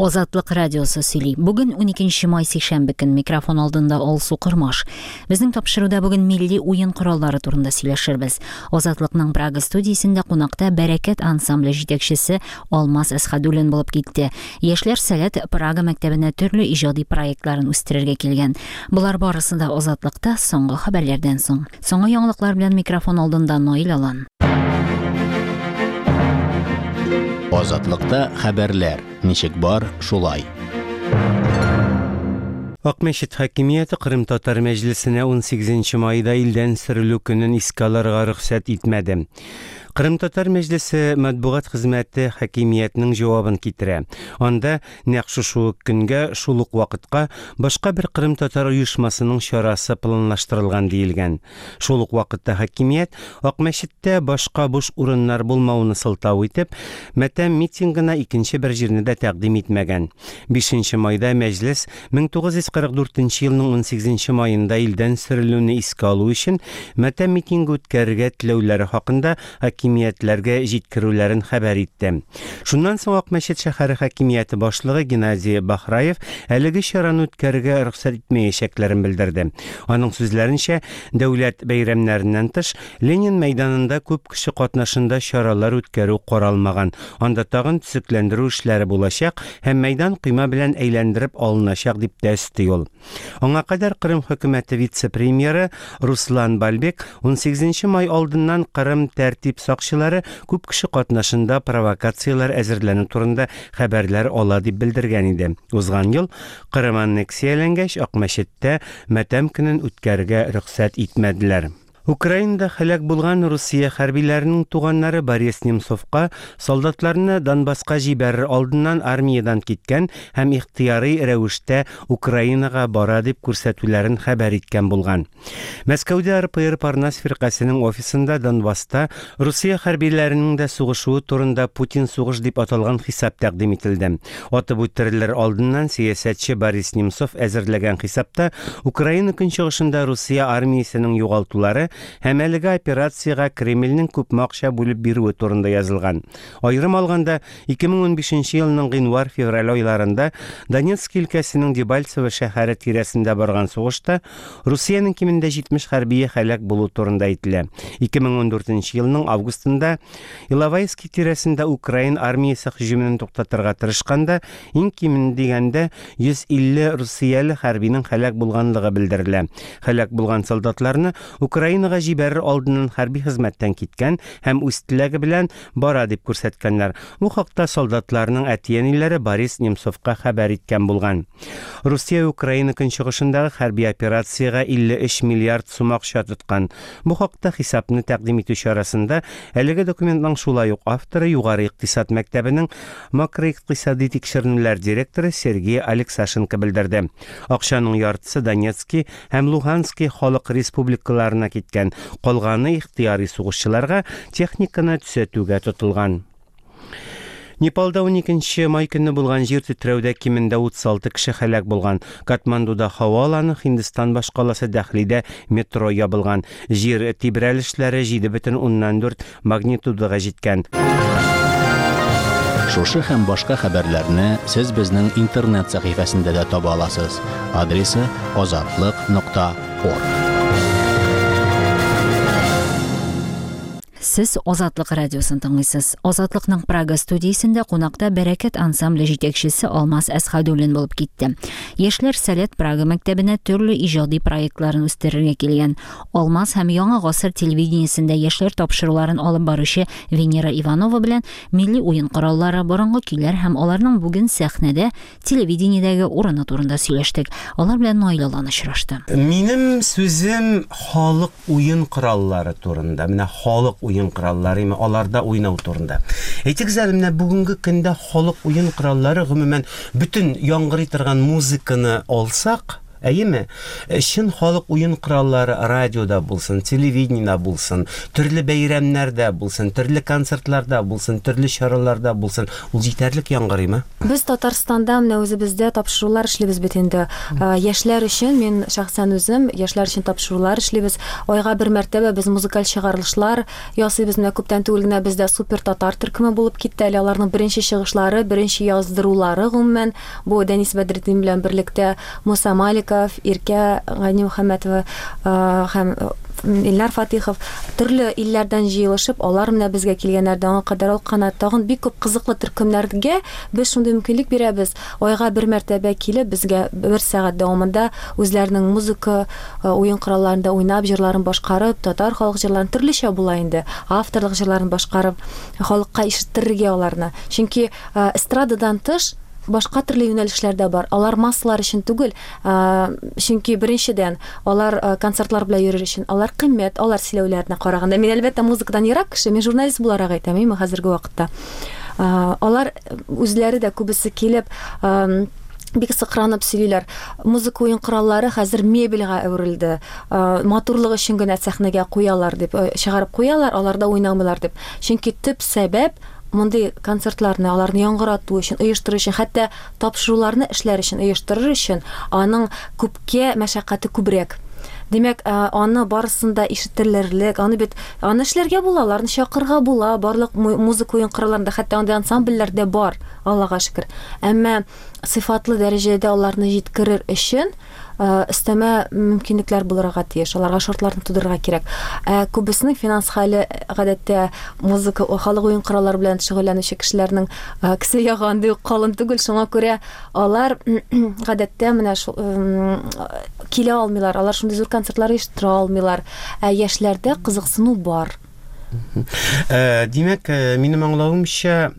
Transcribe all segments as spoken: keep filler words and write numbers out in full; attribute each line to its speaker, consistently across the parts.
Speaker 1: Азатлык радиосы сөйли. Бүген уникенче май сишәмбе көн, микрофон алдында Алсу Кормаш. Безнең тапшыруда бүген милли уен кораллары турында сөйләшербез. Азатлыкның Прага студиясендә кунакта Бәрәкәт ансамбле җитәкчесе Алмаз Әсхәдуллин булып китте. Яшьләр Сәләт Прага мәктәбенә төрле иҗади проектларын үстерергә килгән. Болар барысы да Азатлыкта соңгы хәбәрләрдән соң. Соңгы яңалыклар белән микрофон алдында Наил Алан.
Speaker 2: Азатлыкта хәбәрләр ничек бар, шулай.
Speaker 3: Акмәчет хакимияте Кырым татар мәҗлесенә унсигезенче майда илдән сөрелү көнен искә алырга рөхсәт итмәде. Кырым татар мәҗлесе матбугат хезмәте хакимиятнең җавабын китерә. Анда нәкъ шушы ук көнгә, шул ук вакытка башка бер Кырым татар оешмасының чарасы планлаштырылган диелгән. Шул ук вакытта хакимият Акмәчеттә башка буш урыннар булмавын сылтау итеп, мәтәм митингына икенче бер җирне дә тәкъдим итмәгән. Бишенче майда мәҗлес мең тугыз йөз кырык дүртенче елның унсигезенче майында илдән сөрелүне искә алу өчен мәтәм митингы үткәрергә теләүләре хакында хакимиятләргә җиткерүләрен хәбәр итте. Шуннан соң Акмәчет шәһәре хакимияте башлыгы Геннадий Бахраев әлеге чараны үткәрергә рөхсәт итмәячәкләрен белдерде. Аның сүзләренчә, дәүләт бәйрәмнәреннән тыш Ленин мәйданында күп кеше катнашында чаралар үткәрү каралмаган. Анда тагын төзекләндерү эшләре булачак һәм мәйдан койма белән әйләндереп алыначак дип тә өсти ул. Аңа кадәр Кырым хөкүмәте вице-премьеры Руслан Бальбек унсигезенче май алдыннан Кырым тәртип сакчылары күп кеше катнашында провокацияләр әзерләнү турында хәбәрләр ала дип белдергән иде. Узган ел Кырым аннексияләнгәч, Акмәчеттә мәтәм көнен үткәрергә рөхсәт итмәделәр. Украинада һәлак булган Русия хәрбиләренең туганнары Борис Немцовка солдатларны Донбасска җибәрер алдыннан армиядан киткән һәм ихтыярый рәвештә Украинага бара дип күрсәтүләрен хәбәр иткән булган. Мәскәүдә Р П Р Парнас фиркасының офисында Донбасста Русия хәрбиләренең дә сугышуы турында Путин сугыш дип аталган хисап тәкъдим ителде. Атып үтерелер алдыннан сәясәтче Борис Немцов әзерләгән хисапта Украина көнчыгышында Русия армиясенең югалтулары һәм әлеге операциягә Кремльнең күпме акча бүлеп бирүе турында язылган. Аерым алганда, ике мең унбишенче елның гыйнвар-февраль айларында Донецк өлкәсенең Дебальцево шәһәре тирәсендә барган сугышта Русиянең кимендә җитмеш хәрбие һәлак булу турында әйтелә. Ике мең ундүртенче елның августында Иловайский тирәсендә Украин армиясе һөҗүмен туктатырга тырышканда иң кимен дигәндә йөз илле русияле хәрбинең һәлак булганлыгы белдерелә. Һәлак булган солдатларны Украина җибәрер алдыннан хәрби хезмәттән киткән һәм үз теләге белән бара дип күрсәткәннәр. Бу хакта солдатларның әти-әниләре Борис Немцовка хәбәр иткән булган. Русия Украина көнчыгышындагы хәрби операциягә илле өч миллиард сум акча тоткан. Бу хакта хисапны тәкъдим итү чарасында әлеге документның шулай ук авторы Югары икътисад мәктәбенең макроикътисади тикшеренүләр директоры Сергей Алексашенко белдерде. Акчаның яртысы Донецкий һәм Луганский халык республикаларына киткән, калганы ихтыяри сугышчыларга техниканы төзәтүгә тотылган. Непалда уникенче май көнне булган җир тетрәүдә кимендә утыз алты кеше һәлак булган. Катмандуда һава аланы, Һиндстан башкаласы Дәһлидә метро ябылган. Җир тибрәлешләре җиде бөтен уннан дүрт магнитудага җиткән.
Speaker 2: Шушы һәм башка хәбәрләрне сез безнең интернет сәхифәсендә дә таба аласыз. Адресы азатлык нокта орг.
Speaker 1: Сез Азатлык радиосын тыңлыйсыз. Азатлыкның Прага студиясендә кунакта Бәрәкәт ансамбле җитәкчесе Алмаз Әсхәдуллин булып китте. Яшьләр Сәләт Прага мәктәбенә төрле иҗади проектларын үстерергә килгән. Алмаз һәм Яңа гасыр телевидениесендә яшьләр тапшыруларын алып баручы Венера Иванова белән милли уен кораллары, борынгы көйләр һәм аларның бүген сәхнәдә, телевидениедәге урыны турында сөйләштек. Алар белән Наил Алан очрашты.
Speaker 3: Минем сүзем халык уен кораллары турында. Менә халык уен кораллары, имә аларда уйнау турында. Әйтегез әле, менә бүгенге көндә халык уен кораллары гомумән бөтен яңгырый торган музыканы алсак, Әйеме? Чын халык уен кораллары радиода булсын, телевидениедә булсын, төрле бәйрәмнәрдә булсын, төрле концертларда булсын, төрле чараларда булсын, ул җитәрлек яңгырыймы?
Speaker 4: Без Татарстанда менә үзебездә тапшырулар эшлибез бит инде. Яшьләр өчен, мин шәхсән үзем яшьләр өчен тапшырулар эшлибез. Айга бер мәртәбә без музыкаль чыгарылышлар ясыйбыз. Менә күптән түгел генә бездә Супер татар төркеме булып китте. Әле аларның беренче чыгышлары, беренче яздырулары гомумән бу Дәнис Бәдретдин белән берлектә Муса Маликов, Иркә Ганимөхәммәтова һәм Илнар Фатихов төрле илләрдән җыелышып, алар менә безгә килгәннәр, аңа кадәр алкана тагын бик күп кызыклы төркемнәргә без шундый мөмкинлек бирәбез. Айга бер мәртәбә килеп, безгә бер сәгать дәвамында үзләренең музыка уен коралларында уйнап, җырларын башкарып, татар халык җырларын төрлечә була инде, авторлык җырларын башкарып, халыкка ишеттерергә аларны. Чөнки эстрададан тыш башка төрле юнәлешләр дә бар. Алар массалар өчен түгел, чөнки беренчедән алар концертлар белән йөрер өчен, алар кыйммәт, алар сөйләүләренә караганда. Мин әлбәттә музыкадан ерак кеше, мин журналист буларак әйтәм, әйме хәзерге вакытта. Алар үзләре дә күбесе килеп, бик сыкранып сөйлиләр. Музыка уен кораллары хәзер мебельгә әверелде. Матурлык өчен генә сәхнәгә куялар дип, чыгарып куялар, аларда уйнамыйлар дип. Чөнки төп сәбәп мондый концертларны, аларны яңгырату өчен, оештыру өчен, хәтта тапшыруларны эшләр өчен, оештырыр өчен аның күпкә мәшәкате күбрәк. Димәк, аны барысын да ишетелерлек, аны бит аны эшләргә була, аларны чакырга була, барлык музыка уен коралларында, хәтта андый ансамбльләр дә бар, Аллага шөкер. Әмма сыйфатлы дәрәҗәдә аларны җиткерер өчен өстәмә мөмкинлекләр булырга тиеш, аларга шартларны тудырырга кирәк. Ә күбесенең финанс хәле гадәттә музыка, халык уен кораллары белән шөгыльләнүче кешеләрнең кесә ягы андый ук калын түгел, шуңа күрә алар гадәттә менә шул килә алмыйлар, алар шундый зур концертлар оештыра алмыйлар. Ә яшьләрдә кызыксыну бар.
Speaker 3: Димәк, минем аңлавымча,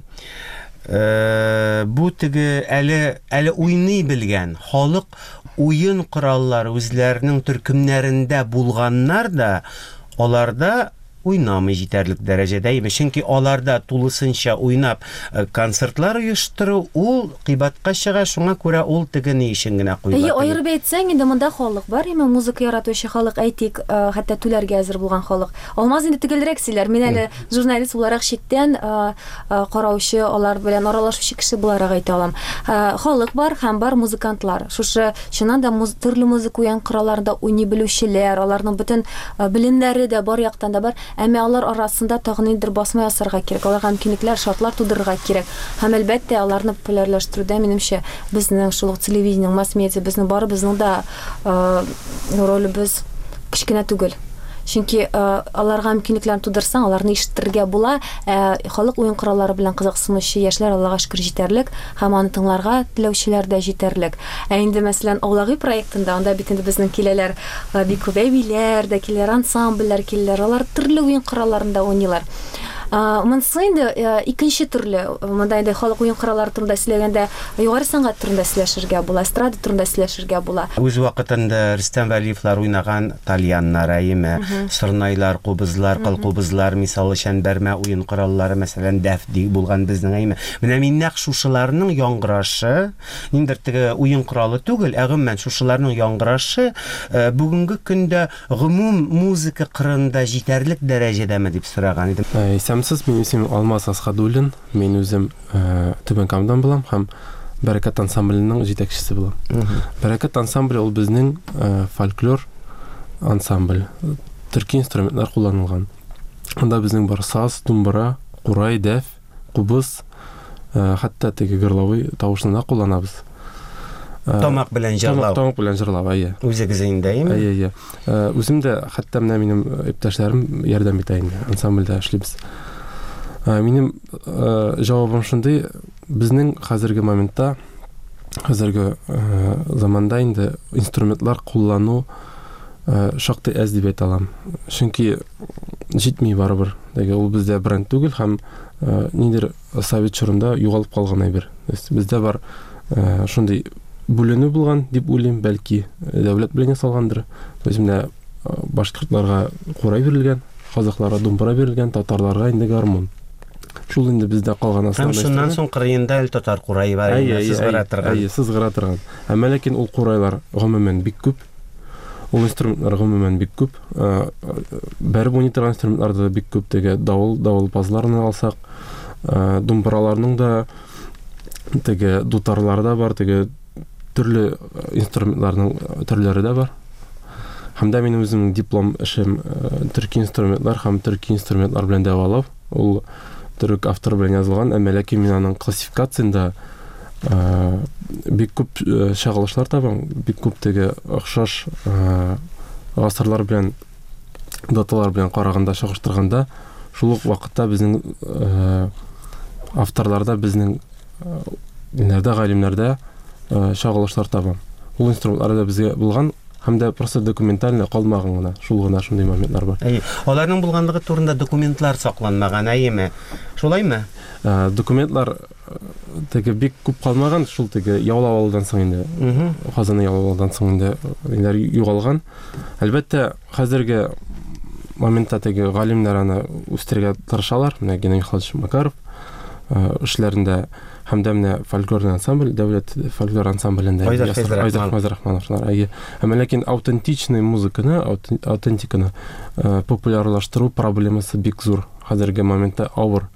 Speaker 3: бу теге әле әле уйный белгән халык уен кораллары үзләренең төркемнәрендә булганнар да аларда уйнамый җитәрлек дәрәҗәдә, чөнки аларда тулысынча уйнап концертлар оештыру ул кыйбатка чыга, шуңа күрә ул теге ни өчен генә куела.
Speaker 4: Әйе, аерып әйтсәң, инде монда халык бар, әмма музыка яратучы халык, әйтик, хәтта түләргә әзер булган халык. Алмаз инде төгәлрәк сөйләр. Мин әле журналист буларак читтән караучы, алар белән аралашучы кеше буларак әйтә алам. Халык бар һәм бар музыкантлар. Шушы чыннан да төрле музыка уен коралларында уйный белүчеләр, аларның бөтен белемнәре дә бар яктан да бар. Әмма алар арасында тагын ниндидер басма ясарга кирәк, аларга мөмкинлекләр, шартлар тудырырга кирәк. Һәм әлбәттә, аларны популярлаштыруда, минемчә, безнең шул ук телевидение, масс-медиа, безнең барыбызның да ролебез кечкенә түгел. Чөнки аларга мөмкинлекләрне тудырсаң, аларны ишеттерергә була. Халык уен кораллары белән кызыксынучы яшьләр Аллага шөкер җитәрлек, һәм аны тыңларга теләүчеләр дә җитәрлек. Ә инде, мәсәлән, Аулагый проектында, анда бит инде безнең киләләр бик күп әбиләр дә киләләр, ансамбльләр киләләр, алар төрле уен коралларында уйныйлар. Монысы инде икенче төрле. Монда инде халык уен кораллары турында сөйләгәндә югары сәнгать турында сөйләшергә була, эстрада турында сөйләшергә була.
Speaker 3: Үз вакытында Рөстәм Вәлиевлар уйнаган тальяннар, әйеме, сорнайлар, кубызлар, кылкубызлар, мисалы өчен бәрмә уен кораллары, мәсәлән, дәф булган безнең, әйеме. Менә мин нәкъ шушыларның яңгырашы, ниндидер теге уен коралы түгел, ә гомумән шушыларның яңгырашы бүгенге көндә гомум музыка кырында җитәрлек дәрәҗәдәме дип сораган идем.
Speaker 5: Исәнмесез, минем исемем Алмаз Асхадуллин. Мин үзем Түбән Камадан булам һәм Бәрәкәт ансамбленең җитәкчесе булам. Бәрәкәт ансамбле ул безнең фольклор ансамбль. Төрки инструментлар кулланылган. Анда безнең бар саз, думбра, курай, дәф, кубыз, хәтта теге горловой тавышны да кулланабыз.
Speaker 3: Тамак белән җырлау.
Speaker 5: Тамак белән җырлау, әйе.
Speaker 3: Үзегез инде, әйеме?
Speaker 5: Әйе, әйе. Үзем дә, хәтта менә минем иптәшләрем ярдәм итә инде, ансамбльдә эшлибез. Минем җавабым шундый: безнең хәзерге моментта, хәзерге заманда инде инструментлар куллану шактый әз дип әйтә алам. Чөнки җитми барыбер. Теге ул бездә бренд түгел һәм ниндидер совет чорында югалып калган әйбер. Бездә бар шундый бүленү булган дип уйлыйм, бәлки дәүләт белән ясалгандыр. То есть менә башкортларга курай бирелгән, казахларга думбра бирелгән, татарларга инде гармун. Шул инде бездә калган
Speaker 3: Һәм
Speaker 5: основной
Speaker 3: шуннан
Speaker 5: инструмент.
Speaker 3: соң кырыенда әле татар курае бар,
Speaker 5: Әйе,
Speaker 3: инде
Speaker 5: әйе,
Speaker 3: сызгыра
Speaker 5: әйе,
Speaker 3: торган.
Speaker 5: Әйе, сызгыра торган. Әмма ләкин ул курайлар гомумән бик күп. Ул инструментлар гомумән бик күп. Э, Бәреп уйный торган инструментлар да бик күп. Теге давыл, давылпазларны алсак, э, думбыраларның да, теге дутарлар да бар, теге төрле инструментларның төрләре дә бар. Һәм дә минем үземнең диплом эшем, э, төрки инструментлар һәм төрки инструментлар белән дәвалау. Ул төрек авторы белән язылган, әмма ләкин мин аның классификациясендә, э, бик күп, э, чагылышлар табам, бик күп теге охшаш, э, гасырлар белән, даталар белән караганда, чагыштырганда, шул ук вакытта безнең, э, авторларда, безнең, э, ниләрдә, галимнәрдә, э, чагылышлар табам. Ул инструментлар да безгә булган, һәм дә просто документально калмаган гына, шул гына шундый моментлар бар.
Speaker 3: Әйе, аларның булганлыгы турында документлар сакланмаган, әйеме? Шулаймы?
Speaker 5: Э, документлар, э, теге бик күп калмаган, шул теге яулап алудан соң инде,
Speaker 3: Мгм.
Speaker 5: Казанны яулап алудан соң инде ниләр югалган. Әлбәттә, хәзерге моментта теге галимнәр аны үстерергә тырышалар. Менә Геннадий Михайлович Макаров, э, эшләрендә һәм дә менә фольклорный ансамбль, дәүләт фольклор ансамблендә
Speaker 3: Айдар
Speaker 5: Ясыр-
Speaker 3: Фәйзрахманов.
Speaker 5: Айдар Фәйзрахмановлар, әйе. Әмма ләкин аутентичный музыканы, аутен-, аутентиканы, э, популярлаштыру проблемасы бик зур. Хәзерге моментта авыр.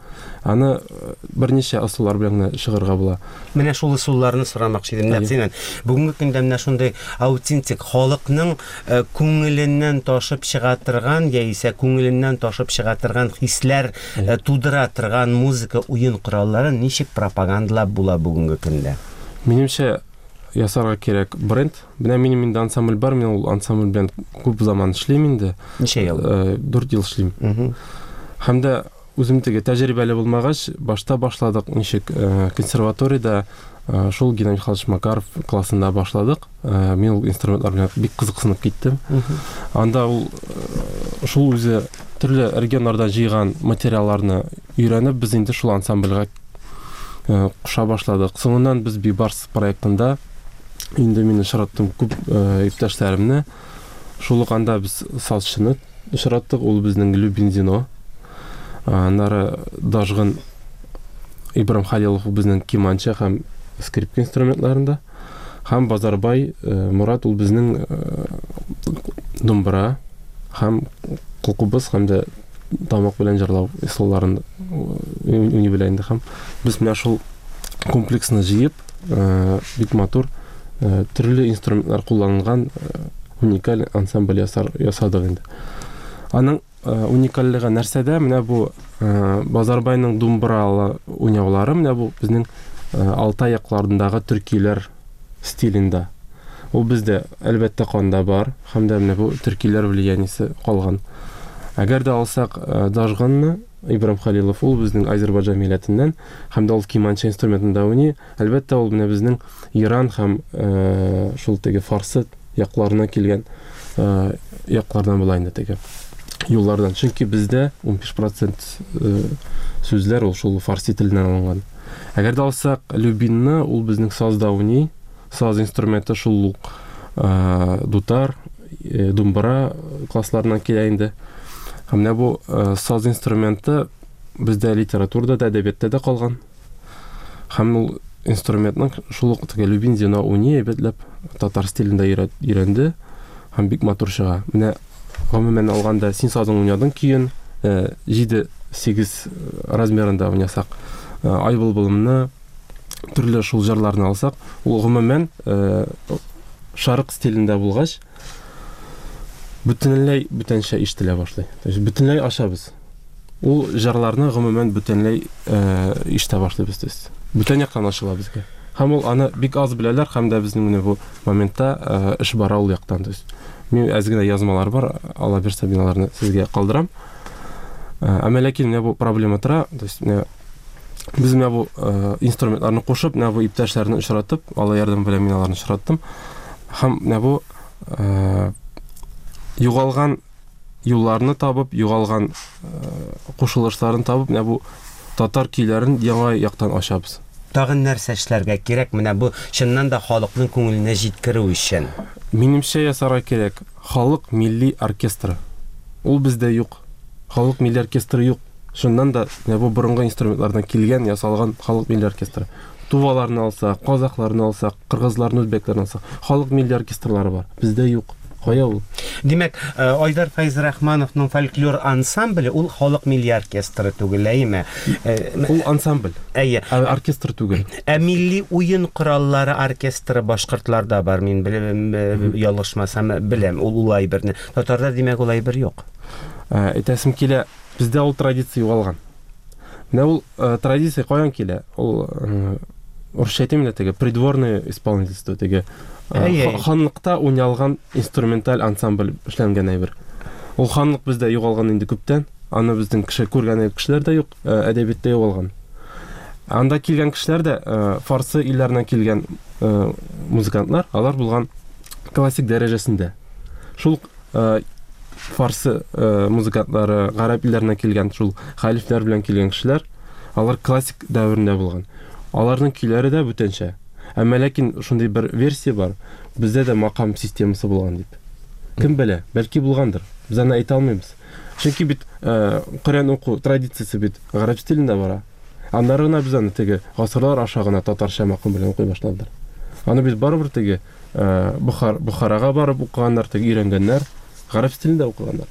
Speaker 5: Аны, э, берничә ысуллар белән генә чыгарга була.
Speaker 3: Менә шул ысулларны сорамакчы идем,
Speaker 5: Әйе.
Speaker 3: нәкъ синнән. Бүгенге көндә менә шундый аутентик халыкның, э, күңеленнән ташып чыга торган яисә күңеленнән ташып чыга торган хисләр,
Speaker 5: Әйе.
Speaker 3: э, тудыра торган музыка уен коралларын ничек пропагандалап була бүгенге көндә?
Speaker 5: Минемчә, ясарга кирәк бренд. Менә минем инде ансамбль бар, мин ул ансамбль белән күп заман эшлим инде.
Speaker 3: Ничә ел?
Speaker 5: Э, дүрт ел эшлим.
Speaker 3: Мгм.
Speaker 5: Һәм дә үзем теге тәҗрибәле булмагач, башта башладык ничек, э, консерваториядә, э, шул Геннадий Михайлович Макаров классында башладык. Э, мин ул инструментлар белән бик кызыксынып киттем.
Speaker 3: Мгм.
Speaker 5: Анда ул, э, шул үзе төрле регионнардан җыйган материалларны өйрәнеп, без инде шул ансамбльгә, э, куша башладык. Соңыннан без Бибарс проектында инде мин очраттым күп, э, иптәшләремне. Шул ук анда без сазчыны очраттык, ул безнең Любин Зино. Аннары Дажгын Ибрам Халилов, ул безнең киманча һәм скрипка инструментларында. Һәм Базарбай, э, Мурат, ул безнең, э, думбра һәм кылкубыз һәм дә тамак белән җырлау ысулларын уйный белә инде. Һәм без менә шул комплексны җыеп, э, бик матур, э, төрле инструментлар кулланылган, э, уникаль ансамбль ясар, ясадык инде. Аның, э, уникальлеге нәрсәдә? Менә бу, э, Базарбайның думбралы уйнаулары, менә бу безнең, э, Алтай якларындагы төркиләр стилендә. Ул бездә әлбәттә канда бар, һәм дә менә бу төркиләр влияниесе калган. Әгәр дә алсак, э, Дажганны, Ибрам Халилов, ул безнең Азербайҗан милләтеннән, һәм дә ул киманча инструментында уйный. Әлбәттә, ул менә безнең Иран һәм, э, шул теге фарсы якларына килгән, э, яклардан була инде теге юллардан. Чөнки бездә ун биш процент, э, сүзләр ул шул фарси теленнән алынган. Әгәр дә алсак Любинны, ул безнең сазда уйный. Саз инструменты шул ук, э, дутар, э, думбра классларынан килә инде. Һәм менә бу, э, саз инструменты бездә литературада да, әдәбиятта да калган. Һәм ул инструментның шул ук теге Любин Зино уйный әйбәтләп татар стилендә өйрәт-, өйрәнде һәм бик матур чыга. Менә гомумән алганда син сазың уйнадың көен, э, җиде сигез размерында уйнасак, э, Ай былбылымны, төрле шул җырларны алсак, ул гомумән, э, шарык стилендә булгач, бөтенләй бүтәнчә ишетелә башлый. То есть бөтенләй ачабыз. Ул җырларны гомумән бөтенләй, э, ишетә башлыйбыз, то есть бүтән яктан ачыла безгә. Һәм ул аны бик аз беләләр, һәм дә безнең менә бу моментта, э, эш бара ул яктан. То есть мин әз генә язмалар бар, Алла бирсә, мин аларны сезгә калдырам. Э, әмма ләкин менә бу проблема тора, то есть менә без менә бу, э, инструментларны кушып, менә бу иптәшләрне очратып, Алла ярдәме белән мин аларны очраттым. Һәм менә бу, э, югалган юлларны табып, югалган, э, кушылышларын табып, менә бу татар көйләрен яңа яктан ачабыз.
Speaker 3: Тагын нәрсә эшләргә кирәк менә бу чыннан да халыкның күңеленә җиткерү өчен?
Speaker 5: Минемчә, ясарга кирәк халык милли оркестры. Ул бездә юк. Халык милли оркестры юк. Чыннан да менә бу борынгы инструментлардан килгән, ясалган халык милли оркестры. Туваларны алсак, казахларны алсак, кыргызларны, үзбәкләрне алсак, халык милли оркестрлары бар. Бездә юк. Кая ул?
Speaker 3: Димәк, Айдар Фәйзрахмановның фольклор ансамбле ул халык милли оркестры түгел, әйеме?
Speaker 5: Ул ансамбль.
Speaker 3: Әйе.
Speaker 5: Ә оркестр түгел.
Speaker 3: Ә милли уен кораллары оркестры башкортларда бар, мин белем, ялгышмасам беләм, ул улай берне. Татарда димәк улай бер юк.
Speaker 5: Әйтәсем килә, бездә ул традиция югалган. Менә ул традиция каян килә? Ул орысча әйтәм инде теге придворное исполнительство теге ханлыкта уйналган инструменталь ансамбль эшләнгән әйбер. Ул ханлык бездә югалган инде күптән. Аны безнең кеше күргән кешеләр дә юк, әдәбиятта югалган. Анда килгән кешеләр дә фарсы илләреннән килгән музыкантлар, алар булган классик дәрәҗәсендә. Шул фарсы музыкантлары, гарәп илләреннән килгән, шул хәлифләр белән килгән кешеләр, алар классик дәверендә булган. Аларның көйләре дә бүтәнчә. Әмма ләкин шундый бер версия бар, бездә дә макам системасы булган дип. Кем белә, бәлки булгандыр. Без аны әйтә алмыйбыз. Чөнки бит Коръән уку традициясе бит гарәп стилендә бара. Аннары гына без аны теге гасырлар аша гына татарча макам белән укый башладылар. Аны бит барыбер теге Бухар, Бухарага барып укыганнар, теге өйрәнгәннәр, гарәп стилендә укыганнар.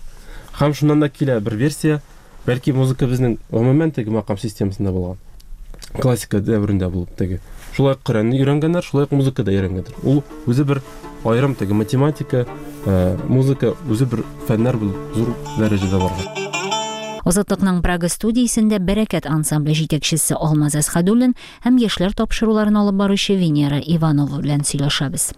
Speaker 5: Һәм шуннан да килә бер версия, бәлки музыка безнең гомумән теге макам системасында булган. Классика дәверендә булып теге. Шулай Коръәнне өйрәнгәннәр, шулай музыка да өйрәнгәннәр. Ул үзе бер аерым теге математика, музыка үзе бер фәннәр булып зур дәрәҗәдә барган.
Speaker 1: Азатлыкның Прага студиясендә Бәрәкәт ансамбле җитәкчесе Алмаз Әсхәдуллин һәм яшьләр тапшыруларын алып баручы Венера Иванова белән сөйләшәбез.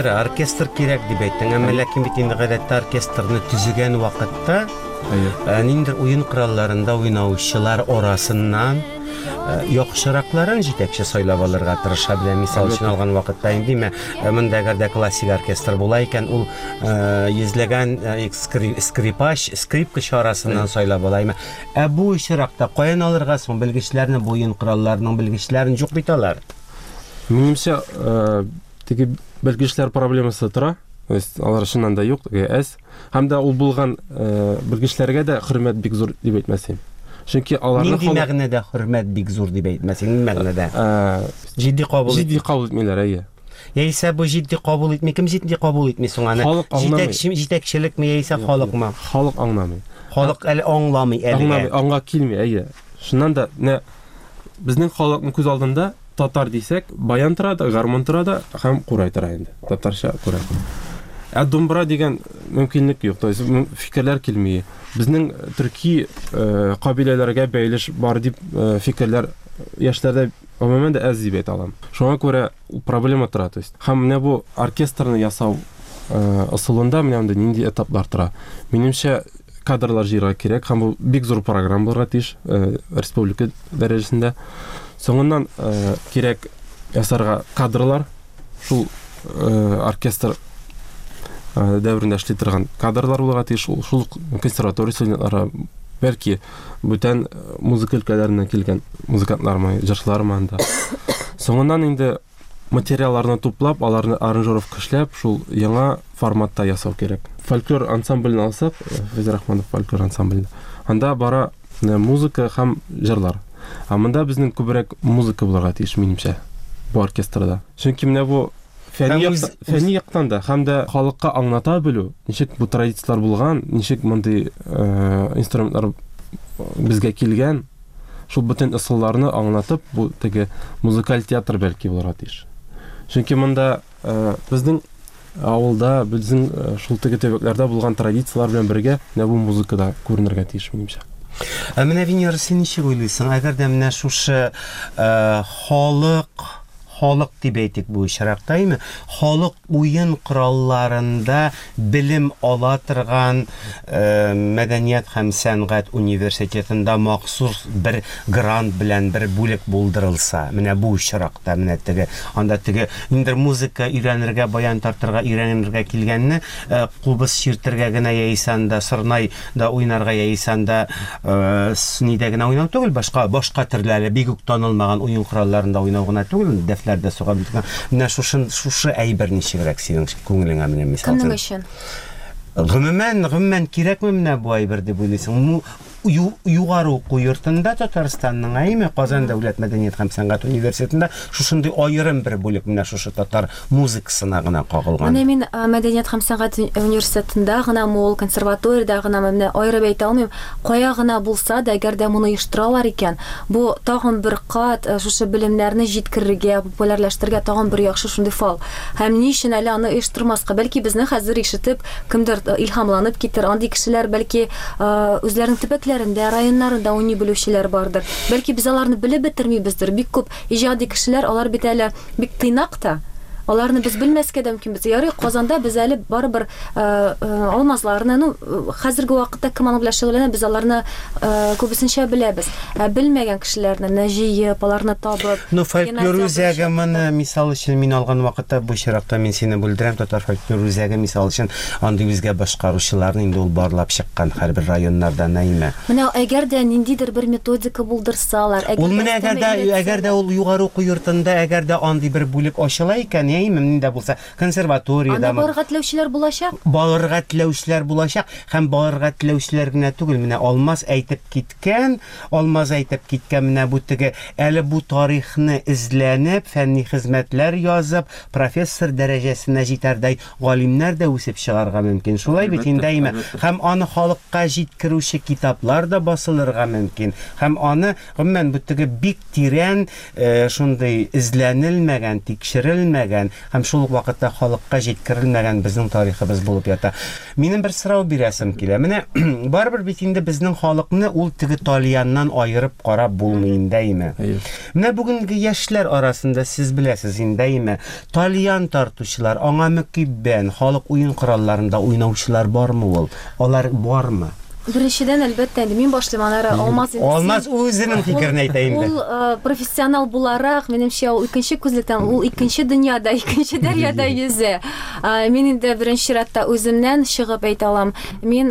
Speaker 3: Оркестр кирәк дип әйттең, әмма ләкин бит инде гадәттә оркестрны төзегән вакытта ниндидер уен коралларында уйнаучылар арасыннан яхшыракларын җитәкче сайлап алырга тырыша белә. Мисал өчен алган вакытта инде монда әгәр дә классик оркестр була икән, ул йөзләгән скрипач, скрипкачы арасыннан сайлап ала. Ә бу очракта каян алырга соң белгечләрне, бу уен коралларының белгечләрен юк бит алар?
Speaker 5: Минемчә, теге белгечләр проблемасы тора, то есть алар чыннан да юк, әз. Һәм дә ул булган белгечләргә дә хөрмәт бик зур дип әйтмәсем. Чөнки аларны
Speaker 3: нинди мәгънәдә хөрмәт бик зур дип әйтмәсең, нинди мәгънәдә? Җитди кабул
Speaker 5: җитди кабул итмиләр, әйе.
Speaker 3: Яисә бу җитди кабул итми, кем җитди кабул итми соң аны? Җитәкче, җитәкчелекме яисә халыкмы?
Speaker 5: Халык аңламый.
Speaker 3: Халык әле аңламый әле.
Speaker 5: Аңламый, аңга килми, әйе. Шуннан да менә безнең халыкның күз алдында татар дисәк, баян тора да, гармун тора да һәм курай тора инде. Татарча курай. Ә домбра дигән мөмкинлек юк, то есть фикерләр килми. Безнең төрки кабиләләргә бәйлеш бар дип фикерләр яшьләрдә гомумән дә әз дип әйтә алам. Шуңа күрә проблема тора, то есть. Һәм менә бу оркестрны ясау ысулында менә монда нинди этаплар тора. Минемчә, кадрлар җыярга кирәк һәм бу бик зур программа булырга тиеш республика дәрәҗәсендә. Соңыннан кирәк ясарга кадрлар, шул оркестр дәверендә эшли торган кадрлар булырга тиеш, шул консерватория студентлары, бәлки бүтән музыка өлкәләреннән килгән музыкантлармы, җырчылармы анда. Соңыннан инде материалларны туплап, аларны аранжировка эшләп, шул яңа форматта ясау кирәк. Фольклор ансамблен алсак, Фәйзрахманов фольклор ансамблен, анда бара музыка һәм җырлар. Ә монда безнең күбрәк музыка булырга тиеш, минемчә, бу оркестрда. Чөнки менә бу фәнни яктан да һәм дә халыкка аңлата белү, ничек бу традицияләр булган, ничек мондый инструментлар безгә килгән, шул бөтен ысулларны аңлатып, бу теге музыкаль театр бәлки булырга тиеш. Чөнки монда безнең авылда, безнең шул теге төбәкләрдә булган традицияләр белән бергә менә бу музыка да күренергә тиеш, минемчә.
Speaker 3: Ә менә Венера, син ничек уйлыйсың? Әгәр дә менә шушы халык халык дип әйтик бу очракта, әйме? Халык уен коралларында белем ала торган э, мәдәният һәм сәнгать университетында махсус бер грант белән бер бүлек булдырылса, менә бу очракта менә теге анда теге ниндидер музыка өйрәнергә, баян тартырга өйрәнергә килгәнне э, кубыз чиртергә генә яисә анда сорнай да уйнарга яисә анда э, нидә генә уйнау түгел, башка башка төрләре бик үк танылмаган уен коралларында уйнау гына түгел, дәфләрдә суга белгән. Менә шушы шушы әйбер ничегрәк синең күңелеңә менә мисал
Speaker 4: Кемнең өчен?
Speaker 3: Гомумән, гомумән кирәкме менә бу әйбер дип уйлыйсың? Югары уку йортында Татарстанның, әйме, Казан дәүләт мәдәният һәм сәнгать университетында шушындый аерым бер бүлек менә шушы татар музыкасына гына кагылган.
Speaker 4: Менә мин мәдәният һәм сәнгать университетында гына, ул консерваториядә гына менә аерып әйтә алмыйм. Кая гына булса да, әгәр дә моны оештыралар икән, бу тагын бер кат шушы белемнәрне җиткерергә, популярлаштырырга тагын бер яхшы шундый фал. Һәм ни өчен әле аны оештырмаска? Бәлки безне хәзер ишетеп, кемдер илһамланып китер, андый кешеләр бәлки үзләренең төбәкләрендә, районнарында уйный белүчеләр бардыр. Бәлки без аларны белеп бетермибездер. Бик күп иҗади кешеләр, алар бит әле бик тыйнак та. Аларны без белмәскә дә мөмкин. Без ярый Казанда без әле барыбер Алмазларны, ну, хәзерге вакытта кем аның белән шөгыльләнә, без аларны күбесенчә беләбез. Ә белмәгән кешеләрне менә җыеп, аларны табып.
Speaker 3: Ну, фольклор үзәге моны, мисал өчен, мин алган вакытта бу чиракта мин сине бүлдерәм, татар фольклор үзәге мисал өчен андый үзгә башкаручыларны инде ул барлап чыккан һәрбер районнардан, әйме?
Speaker 4: Менә әгәр дә ниндидер бер методика булдырсалар,
Speaker 3: әгәр ул менә әгәр дә әгәр дә ул югары уку йортында әгәр дә андый бер бүлек ачыла икән, әйме, нинди булса консерваториядә
Speaker 4: анда барырга теләүчеләр булачак.
Speaker 3: Барырга теләүчеләр булачак һәм барырга теләүчеләр генә түгел, менә Алмаз әйтеп киткән, Алмаз әйтеп киткән менә бу теге әле бу тарихны эзләнеп, фәнни хезмәтләр язып, профессор дәрәҗәсенә җитәрдәй галимнәр дә үсеп чыгарга мөмкин. Шулай бит инде, әйме? Һәм аны халыкка җиткерүче китаплар да басылырга мөмкин. Һәм аны гомумән бу теге бик тирән шундый эзләнелмәгән, тикшерелмәгән һәм шул ук вакытта халыкка җиткерелмәгән безнең тарихыбыз булып ята. Минем бер сорау бирәсем килә. Менә барыбер бит инде безнең халыкны ул теге тальяннан аерып карап булмый инде, әйме? Менә бүгенге яшьләр арасында сез беләсез инде, әйме? Тальян тартучылар, аңа мөкиббән, халык уен коралларында уйнаучылар бармы ул? Алар бармы?
Speaker 4: Беренчедән, әлбәттә, инде мин башлыйм, аннары Алмаз инде.
Speaker 3: Алмаз үзенең фикерен әйтә инде.
Speaker 4: Ул профессионал буларак, минемчә, ул икенче күзлектән, ул икенче дөньяда, икенче дәрьяда йөзә. Мин инде беренче чиратта үземнән чыгып әйтә алам. Мин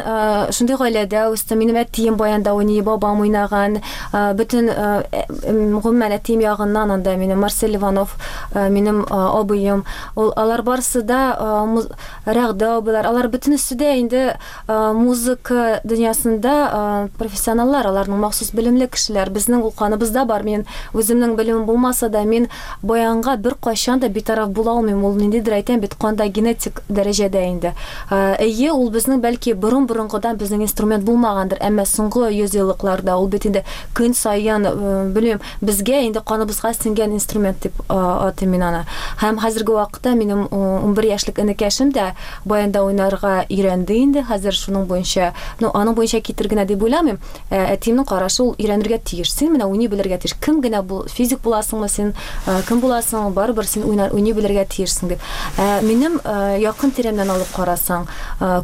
Speaker 4: шундый гаиләдә үстем. Минем әтием баянда уйный, бабам уйнаган. Бөтен гомумән әтием ягыннан анда минем Марсель Иванов, минем абыем. Ул алар барысы да Рәгъдә абыйлар, алар бөтенесе дә инде музыка дөньясында профессионаллар, аларның махсус белемле кешеләр. Безнең ул каныбызда бар. Мин үземнең белемем булмаса да, мин баянга бер кайчан да битараф була алмыйм. Ул ниндидер әйтәм бит, канда генетик дәрәҗәдә инде. Әйе, ул безнең бәлки борын-борынгыдан безнең инструмент булмагандыр, әмма соңгы йөз еллыкларда ул бит инде көн саен, белмим, безгә инде каныбызга сеңгән инструмент дип атыйм мин аны. Һәм хәзерге вакытта минем ун бер яшьлек энекәшем дә баянда уйнарга өйрәнде инде. Хәзер шуның буенча, ну, аның буенча китер генә дип уйламыйм. Әтиемнең карашы, ул өйрәнергә тиеш. Син менә уйный белергә тиеш. Кем генә бул, физик буласыңмы син, кем буласың, барыбер син уйнар, уйный белергә тиешсең дип. Минем якын тирәмнән алып карасаң,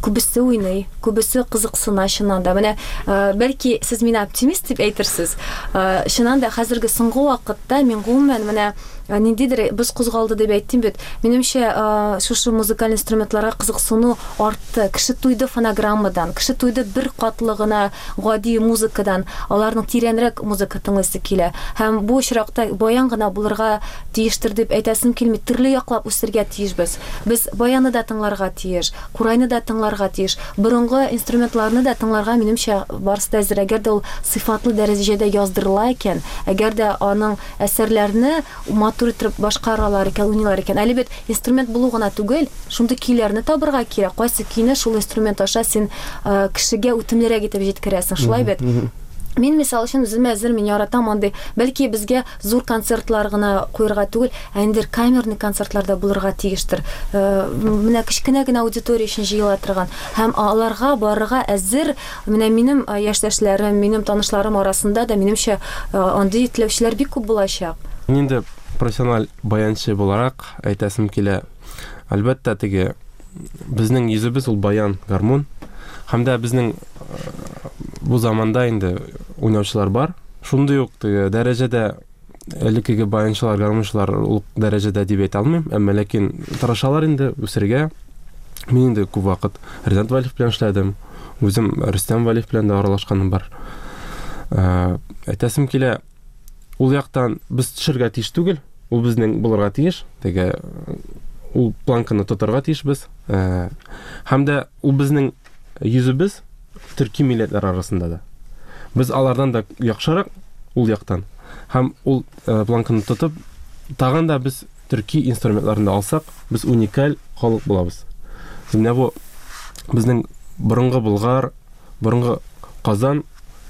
Speaker 4: күбесе уйный, күбесе кызыксына чыннан да. Менә бәлки сез мине оптимист дип әйтерсез. Чыннан да хәзерге соңгы вакытта мин гомумән менә ниндидер без кузгалды дип әйттем бит. Минемчә, шушы музыкаль инструментларга кызыксыну артты. Кеше туйды фонограммадан, кеше туйды бер катлы гына гади музыкадан. Аларның тирәнрәк музыка тыңлыйсы килә. Һәм бу очракта баян гына булырга тиештер дип әйтәсем килми. Төрле яклап үсергә тиешбез. Без баянны да тыңларга тиеш, курайны да тыңларга тиеш, борынгы инструментларны да тыңларга минемчә барысы да әзер. Әгәр дә ул сыйфатлы дәрәҗәдә яздырыла икән, әгәр дә аның әсәрләрне матур итеп башкаралар икән, уйныйлар икән. Әле бит инструмент булу гына түгел, шундый көйләрне табырга кирәк. Кайсы көйне шул инструмент аша син кешегә үтемлерәк итеп җиткерәсең, шулай бит? Мин мисал өчен үзем әзер, мин яратам андый. Бәлки безгә зур концертлар гына куярга түгел, ә инде камерный концертлар да булырга тиештер. Э, менә кечкенә генә аудитория өчен җыела торган һәм аларга барырга әзер. Менә минем э, яшьтәшләрем, минем танышларым арасында да минемчә э, андый теләүчеләр бик күп булачак.
Speaker 5: Мин инде профессиональ баянчы буларак әйтәсем килә. Әлбәттә, теге безнең йөзебез ул баян, гармун. Һәм дә безнең бу заманда инде уйнаучылар бар. Шундый ук теге дәрәҗәдә элеккеге баянчылар, гармунчылар ул дәрәҗәдә дип әйтә алмыйм, әмма ләкин тырышалар инде үсергә. Мин инде күп вакыт Ринат Валиев белән эшләдем. Үзем Рөстәм Валиев белән дә аралашканым бар. Әйтәсем килә, ул яктан без төшергә тиеш түгел, ул безнең булырга тиеш. Теге ул планканы тотарга тиешбез. Һәм дә ул безнең йөзебез төрки милләтләр арасында да. Без алардан да яхшырак ул яктан. Һәм ул планканы тотып, тагын да без төрки инструментларын да алсак, без уникаль халык булабыз. Менә бу безнең борынгы Болгар, борынгы Казан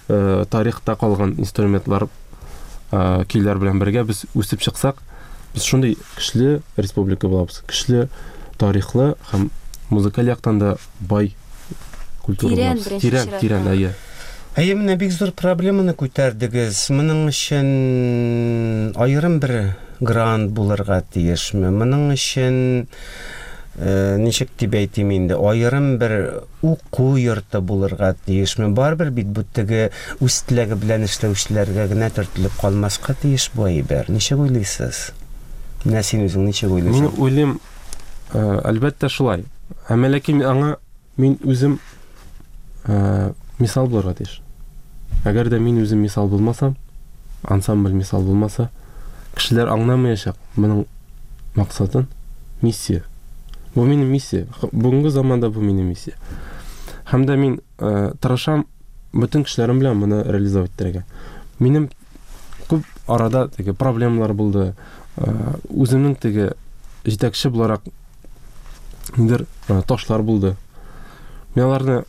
Speaker 5: э, тарихта калган инструментлар, э, көйләр белән бергә без үсеп чыксак, без шундый көчле республика булабыз. Көчле тарихлы һәм музыкаль яктан да бай культура
Speaker 4: Тирән,
Speaker 5: булабыз.
Speaker 4: беренче
Speaker 5: Тирән,
Speaker 4: чиратта.
Speaker 5: тирән, әйе.
Speaker 3: Әйе, менә бик зур проблеманы күтәрдегез. Моның өчен аерым бер грант булырга тиешме? Моның өчен э, ничек дип әйтим инде, аерым бер уку йорты булырга тиешме? Барыбер бит бу теге үз теләге белән эшләүчеләргә генә төртелеп калмаска тиеш бу әйбер. Ничек уйлыйсыз? Менә син үзең ничек уйлыйсың?
Speaker 5: Мин уйлыйм, э, әлбәттә шулай. Әмма ләкин аңа мин үзем э, мисал булырга тиеш. Әгәр дә мин үзем мисал булмасам, ансамбль мисал булмаса, кешеләр аңламаячак моның максатын, миссия. Бу минем миссия. Бүгенге заманда бу минем миссия. Һәм дә мин э, тырышам бөтен кешеләрем белән моны реализовать итәргә. Минем күп арада теге проблемалар булды. Э, үземнең теге җитәкче буларак ниндидер э, ташлар булды. Мин аларны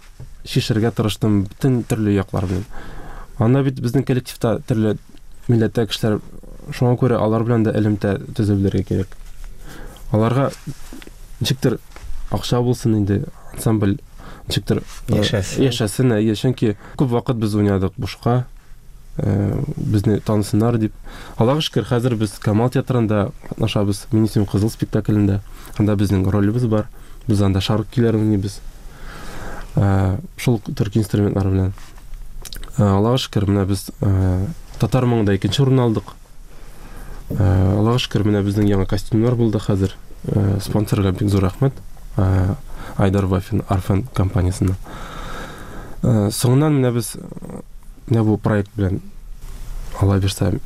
Speaker 5: шишергә тырыштым бөтен төрле яклар белән. Анда бит безнең коллективта төрле милләттә кешеләр, шуңа күрә алар белән дә элемтә төзеп белергә кирәк. Аларга ничектер акча булсын инде, ансамбль ничектер э,
Speaker 3: Яшәсен.
Speaker 5: яшәсен, әйе, чөнки күп вакыт без уйнадык бушка, э, безне танысыннар дип. Аллага шөкер, хәзер без Камал театрында катнашабыз, Мин исемем Кызыл спектаклендә. Анда безнең ролебез бар. Без анда шарк көйләрен уйныйбыз. Э, шул төрки инструментлар белән. Э, Аллага шөкер, менә без э, татар моңында икенче урын алдык. Э, Аллага шөкер, менә безнең яңа костюмнар булды хәзер. Э, спонсорга бик зур рәхмәт. Э, Айдар Вафин Арфен компаниясеннән. Э, соңыннан менә без менә бу проект белән Алла бирсә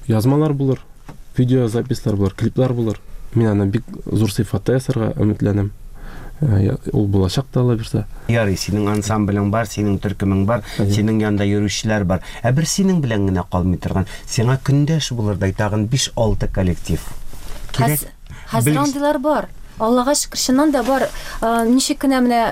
Speaker 5: язмалар булыр, видеозаписьлар булыр, клиплар булыр. Мин аны бик зур сыйфатта ясарга өметләнәм. Э, ул булачак та Алла бирсә.
Speaker 3: Ярый, синең ансамблең бар, синең төркемең бар,
Speaker 5: Әйе.
Speaker 3: синең янда йөрүчеләр бар. Ә бер синең белән генә калмый торган, сиңа көндәш булырдай тагын биш-алты коллектив. Кирәк.
Speaker 4: Хәз- Хәзер
Speaker 3: Белгеч-
Speaker 4: андыйлар бар. Аллага шөкер, чыннан да бар. Э, ничек кенә менә,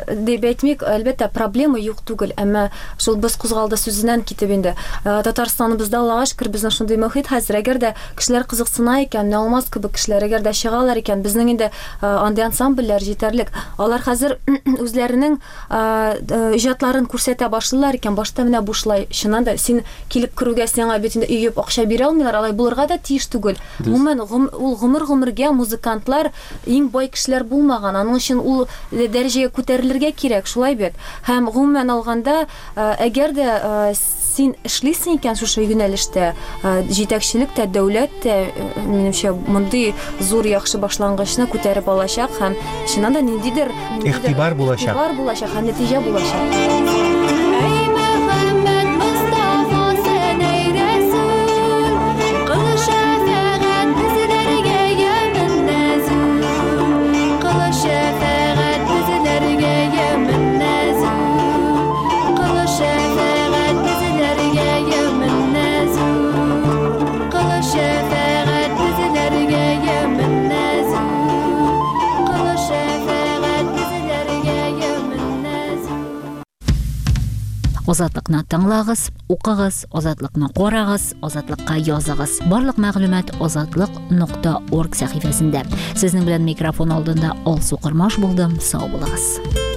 Speaker 4: э, дип әйтмик, әлбәттә, проблема юк түгел, әмма шул без кузгалды сүзеннән китеп инде. Э, Татарстаныбызда Аллага шөкер, безнең шундый мөхит хәзер. Әгәр дә кешеләр кызыксына икән, менә Алмаз кебек кешеләр әгәр дә чыгалар икән, безнең инде, э, андый ансамбльләр җитәрлек. Алар хәзер үзләренең, э, э, иҗатларын күрсәтә башлыйлар икән, башта менә бушлай. Чыннан да син килеп керүгә сиңа бит инде өеп акча бирә алмыйлар, алай булырга да тиеш түгел.
Speaker 5: Дөрес.
Speaker 4: Гомумән, гом-, ул гомер-гомергә музыкантлар иң бай кешеләр булмаган. Аның өчен ул дәрәҗәгә күтәрелергә кирәк, шулай бит. Һәм гомумән алганда, э, әгәр дә, э, син эшлисең икән шушы юнәлештә, э, җитәкчелек тә, дәүләт тә, э, минемчә, мондый зур яхшы башлангычны күтәреп алачак һәм чыннан да ниндидер, ниндидер
Speaker 3: Игътибар булачак.
Speaker 4: Игътибар булачак һәм нәтиҗә булачак.
Speaker 6: Эй Мөхәммәд Мустафа, сен эй Рәсүл, кыл шәфәгать безләргә ямен нәзүл. Кыл шәфәгать безләргә ямен нәзүл. Кыл шәфәгать безләргә ямен нәзүл. Кыл шәфәгать безләргә ямен нәзүл. Кыл шәфәгать безләргә ямен нәзүл.
Speaker 1: Азатлыкны тыңлагыз, укыгыз, Азатлыкны карагыз, Азатлыкка языгыз. Барлык мәгълүмат азатлык нокта орг сәхифәсендә. Сезнең белән микрофон алдында Алсу Кормаш булдым. Сау булыгыз.